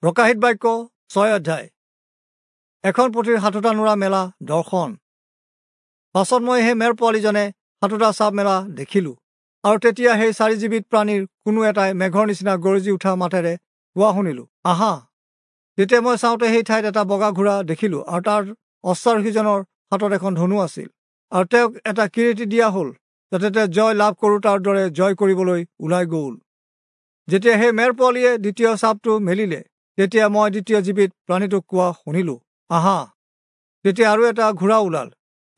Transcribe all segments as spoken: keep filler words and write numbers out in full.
প্ৰকাশিত বাক্য ছয় অধ্যায়। এখন পুথিৰ সাতোটা নুৰা মেলা দৰ্শন। পাছত মই সেই মেৰ পোৱালীজনে সাতোটা চাপ মেলা দেখিলোঁ, আৰু তেতিয়া সেই চাৰি জীৱিত প্ৰাণীৰ কোনো এটাই মেঘৰ নিচিনা গৰজি উঠা মাতেৰে কোৱা শুনিলোঁ, আহা। তেতিয়া মই চাওঁতে সেই ঠাইত এটা বগা ঘোঁৰা দেখিলোঁ, আৰু তাৰ অশ্বাৰোহীজনৰ হাতত এখন ধনু আছিল, আৰু তেওঁক এটা কিৰীটি দিয়া হ'ল, যাতে তেওঁ জয় লাভ কৰোঁতাৰ দৰে জয় কৰিবলৈ ওলাই গ'ল। যেতিয়া সেই মেৰ পোৱালীয়ে দ্বিতীয় চাপটো মেলিলে, তেতিয়া মই দ্বিতীয় জীৱিত প্ৰাণীটোক কোৱা শুনিলোঁ, আহা। তেতিয়া আৰু এটা ঘোঁৰা ওলাল,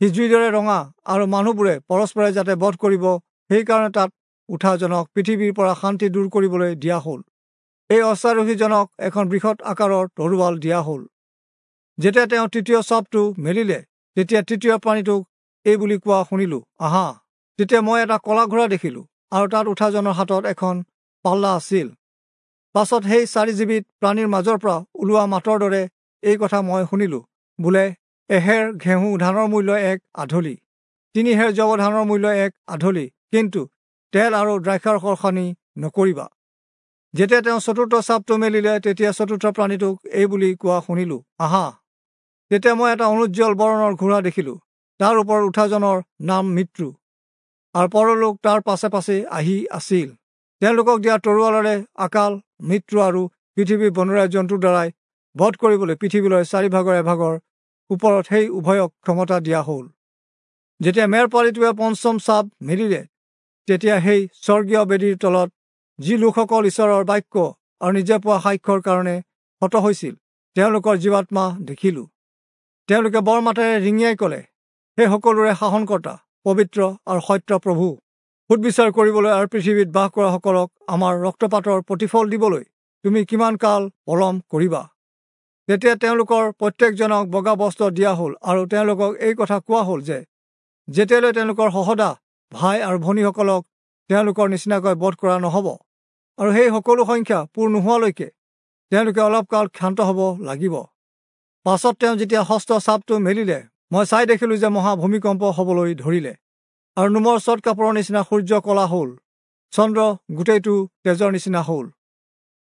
সি জুইৰ দৰে ৰঙা, আৰু মানুহবোৰে পৰস্পৰে যাতে বধ কৰিব সেইকাৰণে তাত উঠাজনক পৃথিৱীৰ পৰা শান্তি দূৰ কৰিবলৈ দিয়া হ'ল। এই অশ্বাৰোহীজনক এখন বৃহৎ আকাৰৰ তৰোৱাল দিয়া হ'ল। যেতিয়া তেওঁ তৃতীয় চাপটো মেলিলে, তেতিয়া তৃতীয় প্ৰাণীটোক এই বুলি কোৱা শুনিলোঁ, আহা। তেতিয়া মই এটা কলা ঘোঁৰা দেখিলোঁ, আৰু তাত উঠাজনৰ হাতত এখন পাল্লা আছিল। পাছত সেই চাৰি জীৱিত প্ৰাণীৰ মাজৰ পৰা ওলোৱা মাতৰ দৰে এই কথা মই শুনিলোঁ, বোলে এহেৰ ঘেঁহু ধানৰ মূল্য এক আধলি, তিনি হেৰ যৱ ধানৰ মূল্য এক আধলি, কিন্তু তেল আৰু দ্ৰাক্ষাৰসৰ সানি নকৰিবা। যেতিয়া তেওঁ চতুৰ্থ চাপটো মেলিলে, তেতিয়া চতুৰ্থ প্ৰাণীটোক এই বুলি কোৱা শুনিলোঁ, আহা। তেতিয়া মই এটা অনুজ্জ্বল বৰণৰ ঘোঁৰা দেখিলোঁ, তাৰ ওপৰত উঠাজনৰ নাম মৃত্যু, আৰু পৰলোক তাৰ পাছে পাছে আহি আছিল। তেওঁলোকক দিয়া তৰোৱালেৰে আকাল, মৃত্যু আৰু পৃথিৱীৰ বনৰীয়া জন্তুৰ দ্বাৰাই বধ কৰিবলৈ পৃথিৱীলৈ চাৰিভাগৰ এভাগৰ ওপৰত সেই উভয়ক ক্ষমতা দিয়া হ'ল। যেতিয়া মেৰ পোৱালীটোৱে পঞ্চম চাপ মেলিলে, তেতিয়া সেই স্বৰ্গীয় বেদীৰ তলত যি লোকসকল ঈশ্বৰৰ বাক্য আৰু নিজে পোৱা সাক্ষ্যৰ কাৰণে হত হৈছিল, তেওঁলোকৰ জীৱাত্মা দেখিলোঁ। তেওঁলোকে বৰ মাতেৰে ৰিঙিয়াই ক'লে, সেই সকলোৰে শাসনকৰ্তা, পবিত্ৰ আৰু সত্য প্ৰভু, সুদবিচাৰ কৰিবলৈ আৰু পৃথিৱীত বাস কৰাসকলক আমাৰ ৰক্তপাতৰ প্ৰতিফল দিবলৈ তুমি কিমান কাল পলম কৰিবা? তেতিয়া তেওঁলোকৰ প্ৰত্যেকজনক বগা বস্ত্ৰ দিয়া হ'ল, আৰু তেওঁলোকক এই কথা কোৱা হ'ল যে যেতিয়ালৈ তেওঁলোকৰ সহদা ভাই আৰু ভনীসকলক তেওঁলোকৰ নিচিনাকৈ বধ কৰা নহ'ব, আৰু সেই সকলো সংখ্যা পূৰ নোহোৱালৈকে তেওঁলোকে অলপ কাল ক্ষান্ত হ'ব লাগিব। পাছত তেওঁ যেতিয়া ষষ্ঠ চাপটো মেলিলে, মই চাই দেখিলোঁ যে মহা ভূমিকম্প হ'বলৈ ধৰিলে, আৰু নোমৰ চট কাপোৰৰ নিচিনা সূৰ্য কলা হ'ল, চন্দ্ৰ গোটেইটো তেজৰ নিচিনা হ'ল,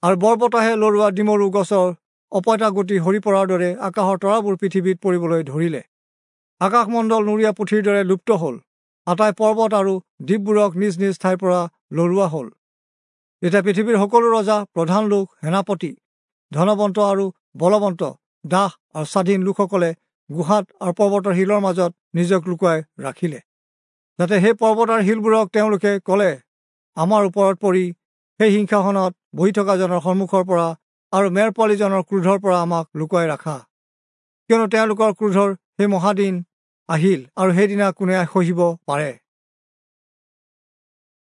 আৰু বৰবতাহে লৰোৱা ডিমৰু গছৰ অপইতা গুটি সৰি পৰাৰ দৰে আকাশৰ তৰাবোৰ পৃথিৱীত পৰিবলৈ ধৰিলে। আকাশমণ্ডল নৰিয়া পুথিৰ দৰে লুপ্ত হ'ল, আটাই পৰ্বত আৰু দ্বীপবোৰক নিজ নিজ ঠাইৰ পৰা লৰোৱা হ'ল। তেতিয়া পৃথিৱীৰ সকলো ৰজা, প্ৰধান লোক, সেনাপতি, ধনৱন্ত আৰু বলৱন্ত, দাস আৰু স্বাধীন লোকসকলে গুহাত আৰু পৰ্বতৰ শিলৰ মাজত নিজক লুকুৱাই ৰাখিলে, যাতে সেই পৰ্বত আৰু শিলবোৰক তেওঁলোকে ক'লে, আমাৰ ওপৰত পৰি সেই সিংহাসনত বহি থকাজনৰ সন্মুখৰ পৰা আৰু মেৰ পোৱালীজনৰ ক্ৰোধৰ পৰা আমাক লুকুৱাই ৰাখা, কিয়নো তেওঁলোকৰ ক্ৰোধৰ সেই মহাদিন আহিল, আৰু সেইদিনা কোনে সহিব পাৰে।